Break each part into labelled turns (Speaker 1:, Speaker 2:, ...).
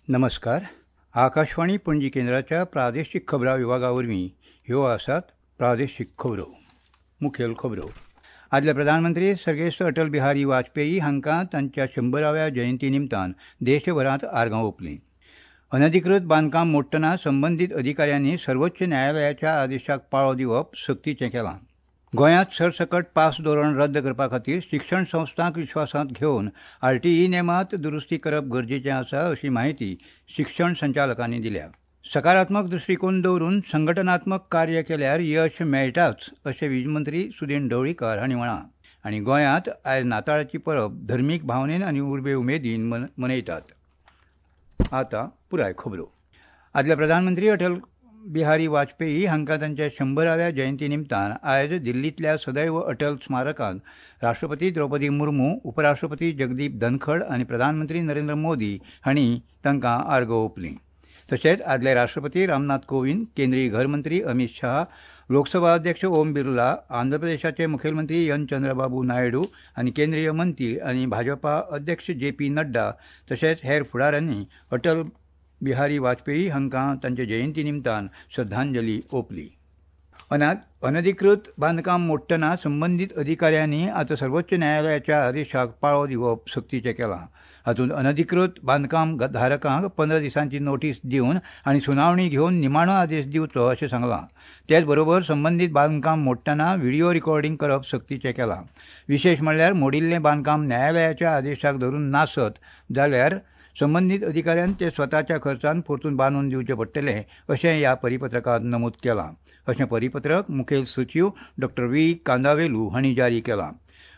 Speaker 1: नमस्कार. आकाशवाणी पणजी केंद्राच्या प्रादेशीक खबरां विभागा वरवीं ह्यो आसात प्रादेशीक खबरो. मुखेल खबरो. आदले प्रधानमंत्री सर्गेस्त अटल बिहारी वाजपेयी हांकां तांच्या 100व्या जयंती निमतान देशभरांत आर्गां ओंपलीं. अनधिकृत बांदकाम मोडटना संबंदीत अधिकाऱ्यांनी सर्वोच्च न्यायालयाच्या आदेशाक पाळो दिवप सक्तीचें केलां. गोंयांत सरसकट पास धोरण रद्द करपा खातीर शिक्षण संस्थांक विश्वासांत घेवन आरटीई नेमांत दुरुस्ती करप गरजेचें आसा अशी म्हायती शिक्षण संचालकांनी दिल्या. सकारात्मक दृश्टीकोन दवरून संघटनात्मक कार्य केल्यार यश मेळटाच अशें वीज मंत्री सुदिन ढवळीकार हांणी म्हळां. आनी गोंयांत आयज नाताळाची परब धर्मीक भावनेन आनी उर्बे उमेदीन मनयतात. आतां पुराय खबरो. आदले प्रधानमंत्री अटल बिहारी वाजपेयी हांकां तांच्या 100व्या जयंती निमतान आयज दिल्लींतल्या सदैव अटल स्मारकांत राष्ट्रपती द्रौपदी मुर्मू, उपराष्ट्रपती जगदीप धनखड आनी प्रधानमंत्री नरेंद्र मोदी हांणी तांकां आर्गां ओंपलीं. तशेंच आदले राष्ट्रपती रामनाथ कोविंद, केंद्रीय घरमंत्री अमित शाह, लोकसभा अध्यक्ष ओम बिर्ला, आंध्र प्रदेशाचे मुखेलमंत्री एन चंद्रबाबू नायडू आनी केंद्रीय मंत्री आनी भाजपा अध्यक्ष जे पी नड्डा तशेंच हेर फुडाऱ्यांनी अटल बिहारी वाजपेयी हांकां तांचे जयंती निमतान श्रद्धांजली ओंपली. अनधिकृत बांदकाम मोडटना संबंदीत अधिकाऱ्यांनी आतां सर्वोच्च न्यायालयाच्या आदेशाक पाळो दिवप सक्तीचें केलां. हातूंत अनधिकृत बांदकाम धारकांक 15 दिसांची नोटीस दिवन आनी सुनावणी घेवन निमाणो आदेश दिवचो अशें सांगलां. तेच बरोबर संबंदीत बांदकाम मोडटना व्हिडिओ रिकॉर्डिंग करप सक्तीचें केलां. विशेश म्हणल्यार मोडिल्लें बांदकाम न्यायालयाच्या आदेशाक धरून नासत जाल्यार संबंदीत अधिकाऱ्यान ते स्वताच्या खर्चान परतून बांदून दिवचें पडटलें अशें ह्या परिपत्रकांत नमूद केलां. अशें परिपत्रक मुखेल सचीव डॉ. व्ही कांदावेलू हांणी जारी केलां.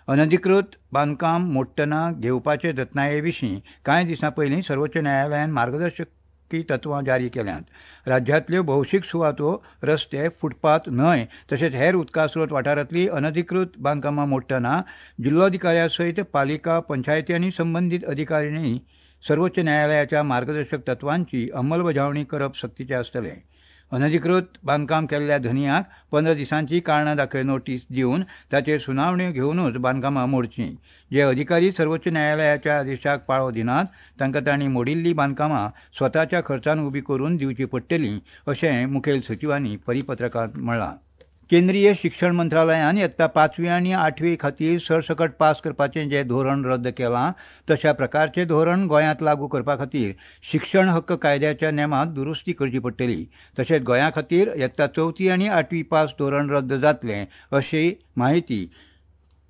Speaker 1: अनधिकृत बांदकाम मोडटना घेवपाचे जतनाये विशीं कांय दिसां पयलीं सर्वोच्च न्यायालयान मार्गदर्शकी तत्वां जारी केल्यांत. राज्यांतल्यो भौशीक सुवातो, रस्ते, फुटपाथ, न्हंय तशेंच हेर उदकास्रोत वाठारांतली अनधिकृत बांदकामां मोडटना जिल्लोधिकाऱ्या सयत पालिका, पंचायती आनी संबंदीत अधिकाऱ्यांनी सर्वोच्च न्यायालयाच्या मार्गदर्शक तत्वांची अंमलबजावणी करप सक्तीचें आसतलें. अनधिकृत बांदकाम केल्ल्या धनयांक 15 दिसांची कारणां दाखय नोटीस दिवन ताचेर सुनावण्यो घेवनूच बांदकामां मोडचीं. जे अधिकारी सर्वोच्च न्यायालयाच्या आदेशाक पाळो दिनात तांकां तांणी मोडिल्लीं बांदकामां स्वताच्या खर्चान उबी करून दिवची पडटलीं अशें मुखेल सचिवांनी परिपत्रकांत म्हळां. केंद्रीय शिक्षण मंत्रालयान यत्ता 5वी आनी 8वी खातीर सरसकट पास करपाचें जें धोरण रद्द केलां तशा प्रकारचें धोरण गोंयांत लागू करपा खातीर शिक्षण हक्क कायद्याच्या नेमांत दुरुस्ती करची पडटली. तशेंच गोंया खातीर यत्ता 4थी आनी 8वी पास धोरण रद्द जातलें अशी म्हायती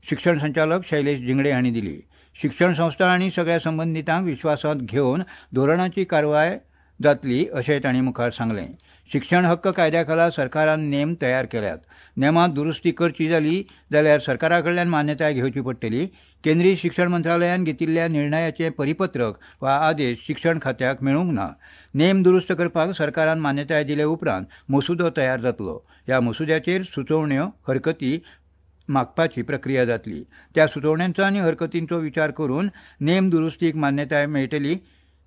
Speaker 1: शिक्षण संचालक शैलेश झिंगडे हांणी दिली. शिक्षण संस्था आनी सगळ्या संबंदितांक विश्वासांत घेवन धोरणाची कारवाय जातली अशें तांणी मुखार सांगलें. शिक्षण हक्क कायद्या खाला सरकारान नेम तयार केल्यात. नेमांत दुरुस्ती करची जाली जाल्यार सरकारा कडल्यान मान्यताय घेवची पडटली. केंद्रीय शिक्षण मंत्रालयान घेतिल्ल्या निर्णयाचें परिपत्रक वा आदेश शिक्षण खात्याक मेळूंक ना. नेम दुरुस्त करपाक सरकारान मान्यताय दिले उपरांत मसुदो तयार जातलो. ह्या मसुद्याचेर सुचोवण्यो, हरकती मागपाची प्रक्रिया जातली. त्या सुचोवण्यांचो आनी हरकतींचो विचार करून नेम दुरुस्तीक मान्यताय मेळटली.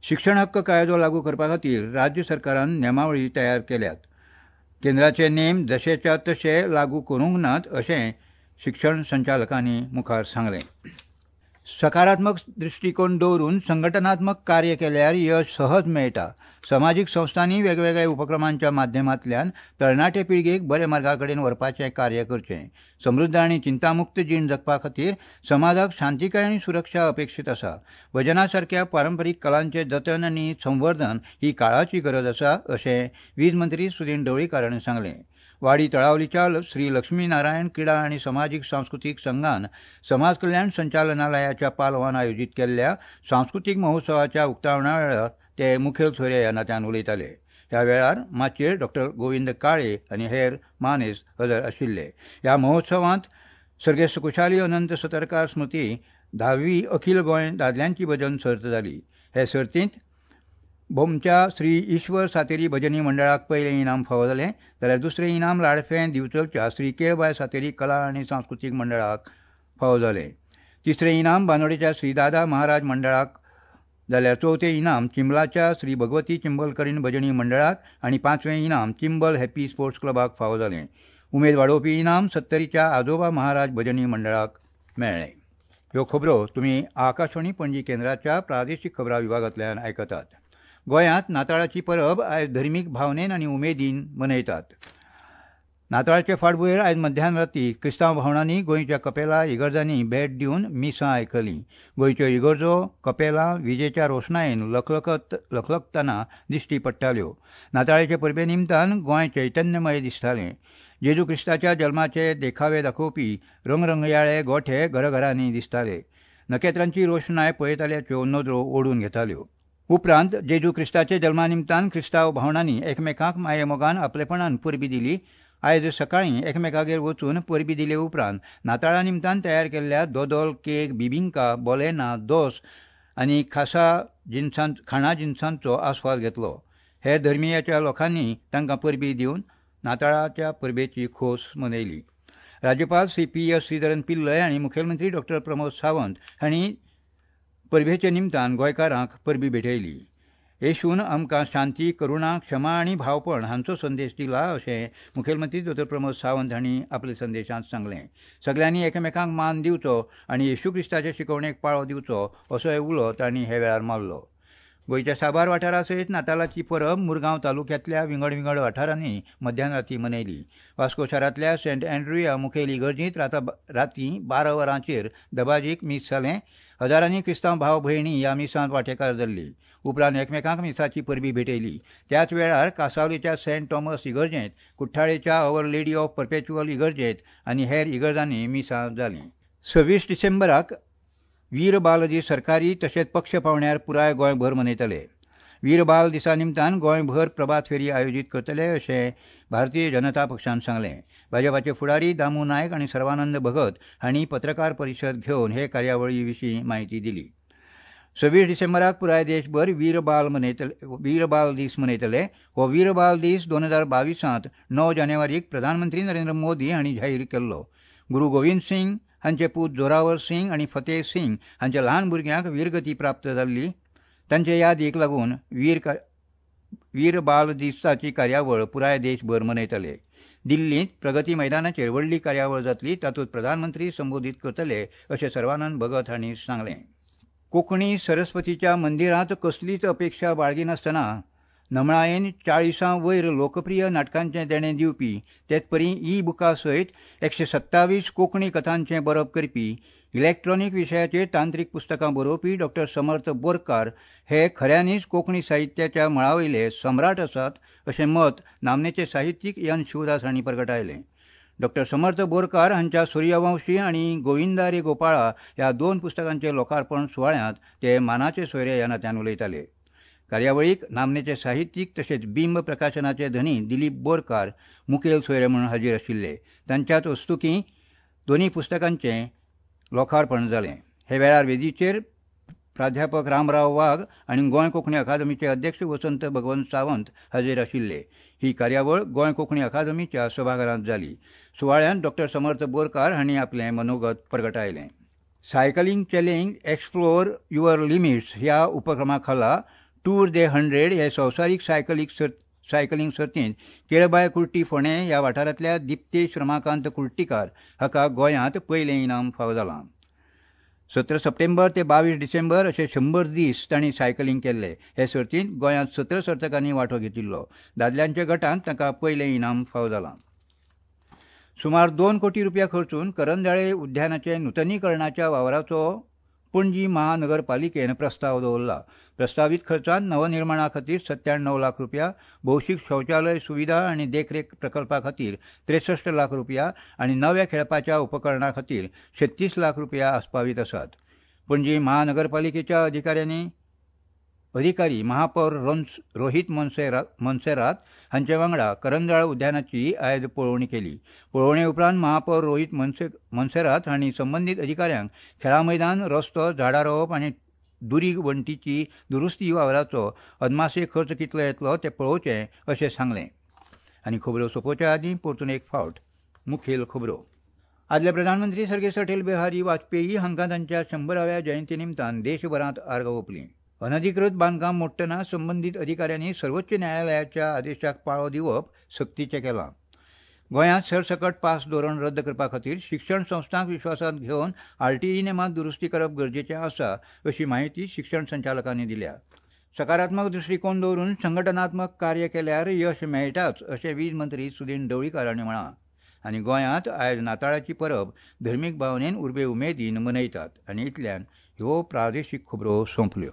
Speaker 1: शिक्षण हक्क कायदो लागू करपा खातीर राज्य सरकारान नेमावळी तयार केल्यात. केंद्राचे नेम जशेच्या तशे लागू करूंक नात अशें शिक्षण संचालकांनी मुखार सांगलें. सकारात्मक दृश्टीकोन दवरून संघटनात्मक कार्य केल्यार यश सहज मेळटा. समाजीक संस्थांनी वेगवेगळ्या उपक्रमांच्या माध्यमांतल्यान तरणाटे पिळगेक बऱ्या मार्गा कडेन व्हरपाचें कार्य करचें. समृद्ध आनी चिंतामुक्त जीण जगपा खातीर समाजाक शांतिकाय आनी सुरक्षा अपेक्षीत आसा. भजना सारक्या पारंपरीक कलांचें जतन आनी संवर्धन ही काळाची गरज आसा अशें वीज मंत्री सुदिन ढवळीकार हांणी सांगलें. वाडी तळावलीच्या श्री लक्ष्मी नारायण क्रिडा आनी समाजीक सांस्कृतीक संघान समाज कल्याण संचालनालयाच्या पालवान आयोजीत केल्ल्या सांस्कृतीक महोत्सवाच्या उक्तावणा वेळार ते मुखेल सोयरे ह्या नात्यान उलयताले. ह्या वेळार माचयेर डॉ. गोविंद काळे आनी हेर मानेस्त हजर आशिल्ले. ह्या महोत्सवांत सर्गेस्त कुशाली अनंत सतरकार स्मृती 10वी अखिल गोंय दादल्यांची भजन सर्त जाली. हे सर्तींत भोमच्या श्री ईश्वर सातेरी भजनी मंडळाक पयलें इनाम फावो जालें, जाल्यार दुसरें इनाम लाडफें दिवचलच्या श्री केळबाय सातेरी कला आनी सांस्कृतीक मंडळाक फावो जालें. तिसरें इनाम बांदोडेच्या श्री दादा महाराज मंडळाक जाल्यार चवथें इनाम चिंबलाच्या श्री भगवती चिंबलकरीण भजनी मंडळाक आनी पांचवें इनाम चिंबल हॅपी स्पोर्ट्स क्लबाक फावो जालें. उमेद वाडोवपी इनाम सत्तरीच्या आजोबा महाराज भजनी मंडळाक मेळ्ळें. ह्यो खबरो तुमी आकाशवाणी पणजी केंद्राच्या प्रादेशीक खबरां विभागांतल्यान आयकतात. गोंयांत नाताळाची परब आयज धर्मीक भावनेन आनी उमेदीन मनयतात. नाताळाचे फाटभुंयेर आयज मध्यान राती क्रिस्तांव भावणांनी गोंयच्या कपेला इगर्जांनी भेट दिवन मिसां आयकलीं. गोंयच्यो इगर्जो कपेलां विजेच्या रोशणायेन लखलखतना दिश्टी पडटाल्यो. नाताळाचे परबे निमतान गोंय चैतन्यमय दिसतालें. जेजू क्रिस्ताच्या जल्माचे देखावे दाखोवपी रंगरंगयाळे गोठे घरघरांनी दिसताले. नखेत्रांची रोशणाय पळयताल्याच्यो नदरो ओडून घेताल्यो. उपरांत जेजू क्रिस्ताचे जल्मा निमतान क्रिस्तांव भावणांनी एकमेकांक मायेमोगान आपलेपणान परबी दिली. आयज सकाळीं एकमेकागेर वचून परबी दिले उपरांत नाताळा निमतान तयार केल्ल्या दोदोल, केक, बिबिंका, बोलेना, दोस आनी खासा खाणा जिनसांचो आस्वाद घेतलो. हेर धर्मियाच्या लोकांनी तांकां परबी दिवन नाताळाच्या परबेची खोस मनयली. राज्यपाल श्री पी एस श्रीधरन पिल्लय आनी मुखेलमंत्री डॉक्टर प्रमोद सावंत हांणी परबेचे निमतान गोंयकारांक परबी भेटयली. येशून आमकां शांती, करुणा, क्षमा आनी भावपण हांचो संदेश दिला अशें मुखेलमंत्री डॉक्टर प्रमोद सावंत हांणी आपल्या संदेशांत सांगलें. सगल्यांनी एकामेकांक मान दिवचो आनी येशू क्रिस्ताचे शिकवणेक पाळो दिवचो असोय उलो तांणी हे वेळार मारलो. गोंयच्या साबार वाठारा सयत नातालाची परब मुरगांव तालुक्यांतल्या विंगड विंगड वाठारांनी मध्यान राती मनयली. वास्को शारांतल्या सेंट अँड्रू ह्या मुखेल इगर्जींत राती 12 वरांचेर दबाजीक मीस जालें. हजारांनी क्रिस्तांव भाव भयणी ह्या मिसांत वांटेकार जाल्ली. उपरांत एकमेकांक मिसाची परबी भेटयली. त्याच वेळार कासावलीच्या सेंट थॉमस इगर्जेंत, कुठ्ठाळेच्या our lady of perpetual इगर्जेंत आनी हेर इगर्जांनी मिसां जालीं. 26 डिसेंबराक वीर बाल दीस सरकारी तशेंच पक्ष पावंड्यार पुराय गोंयभर मनयतले. वीर बाल दिसा निमतान गोंयभर प्रभात फेरी आयोजीत करतले अशें भारतीय जनता पक्षान सांगलें. भाजपाचे फुडारी दामू नायक आनी सर्वानंद भगत हांणी पत्रकार परिशद घेवन हे कार्यावळी विशीं म्हायती दिली. 26 डिसेंबराक पुराय देशभर वीर बाल दीस मनयतले. हो वीर बाल दीस 2022 9 जानेवारीक प्रधानमंत्री नरेंद्र मोदी हांणी जाहीर केल्लो. गुरू गोविंद सिंग हांचे पूत जोरावर सिंग आनी फतेह सिंग हांच्या ल्हान भुरग्यांक वीरगती प्राप्त जाल्ली. तांचे यादीक लागून वीर बाल दिसाची कार्यावळ पुराय देशभर मनयतले. दिल्लींत प्रगती मैदानाचेर व्हडली कार्यावळ जातली, तातूंत प्रधानमंत्री संबोधीत करतले अशें सर्वानंद भगत हांणी सांगलें. कोंकणी सरस्वतीच्या मंदिरांत कसलीच अपेक्षा बाळगिनासतना नमळायेन 40 वयर लोकप्रिय नाटकांचें देणें दिवपी, तेचपरी ई बुका सयत 127 कोंकणी कथांचें बरप करपी, इलॅक्ट्रॉनीक विशयाचेर तांत्रीक पुस्तकां बरोवपी डॉक्टर समर्थ बोरकार हे खऱ्यांनीच कोंकणी साहित्याच्या मळावयले सम्राट आसात अशें मत नामनेचे साहित्यीक एन शिवदास हांणी परगटायलें. डॉक्टर समर्थ बोरकार हांच्या सूर्यवंशी आनी गोविंदा रे गोपाळा ह्या 2 पुस्तकांचे लोकार्पण सुवाळ्यांत ते मानाचे सोयरे ह्या नात्यान उलयताले. कार्यावळीक नामनेचे साहित्यीक तशेंच बिंब प्रकाशनाचे धनी दिलीप बोरकार मुखेल सोयरे म्हणून हाजीर आशिल्ले. तांच्याच हस्तुकीं दोनूय पुस्तकांचें लोकार्पण जालें. हे वेळार वेदीचेर प्राध्यापक रामराव वाघ आनी गोंय कोंकणी अकादमीचे अध्यक्ष वसंत भगवंत सावंत हाजीर आशिल्ले. ही कार्यावळ गोंय कोंकणी अकादमीच्या सभाघरांत जाली. सुवाळ्यांत डॉक्टर समर्थ बोरकार हांणी आपलें मनोगत परगटायलें. Cycling challenge explore your limits ह्या उपक्रमा खाला टूर दे 100 हे संवसारीक सायकलिंग सर्तींत केळबाय कुर्टी फोंडें ह्या वाठारांतल्या दिप्तेश रमाकांत कुर्टीकार हाका गोंयांत पयलें इनाम फावो जालां. 17 सप्टेंबर ते 22 डिसेंबर अशे 100 दीस तांणी सायकलिंग केल्ले. हे सर्तींत गोंयांत 17 सर्तकांनी वांटो घेतिल्लो. दादल्यांच्या गटांत तांकां पयलें इनाम फावो जालां. सुमार 2 कोटी रुपया खर्चून करंजाळे उद्यानाचे नुतनीकरणाच्या वावराचो पणजी महानगरपालिकेन प्रस्ताव दवरला. प्रस्तावीत खर्चांत नवनिर्माणा खातीर 97 लाख रुपया, भौशीक शौचालय सुविधा आनी देखरेख प्रकल्पा खातीर 63 लाख रुपया आनी नव्या खेळपाच्या उपकरणा खातीर 36 लाख रुपया आस्पावीत आसात. पणजी महानगरपालिकेच्या अधिकारी महापौर रोहित मोन्सेरात हांचे वांगडा करंजाळ उद्यानाची आयज पळोवणी केली. पळोवणे उपरांत महापौर रोहित मोन्सेरात हांणी संबंदीत अधिकाऱ्यांक खेळां मैदान, रस्तो, झाडां रोवप आनी दुरीग वण्टीची दुरुस्ती वावराचो अदमासे खर्च कितलो येतलो तें पळोवचें अशें सांगलें. आनी खबरो सोंपोवच्या आदीं परतून एक फावट मुखेल खबरो. आदले प्रधानमंत्री सर्गेस्त अटल बिहारी वाजपेयी हांकां तांच्या 100व्या जयंती निमतान देशभरांत आर्गां ओंपलीं. अनधिकृत बांदकाम मोडटना संबंदीत अधिकाऱ्यांनी सर्वोच्च न्यायालयाच्या आदेशाक पाळो दिवप सक्तीचें केलां. गोंयांत सरसकट पास धोरण रद्द करपा खातीर शिक्षण संस्थांक विश्वासांत घेवन आरटीई नेमांत दुरुस्ती करप गरजेचें आसा अशी म्हायती शिक्षण संचालकांनी दिल्या. सकारात्मक दृश्टीकोन दवरून संघटनात्मक कार्य केल्यार यश मेळटाच अशें वीज मंत्री सुदिन ढवळीकार हांणी म्हळां. आनी गोंयांत आयज नाताळाची परब धर्मीक भावनेन उर्बे उमेदीन मनयतात. आनी इतल्यान ह्यो प्रादेशीक खबरो सोंपल्यो.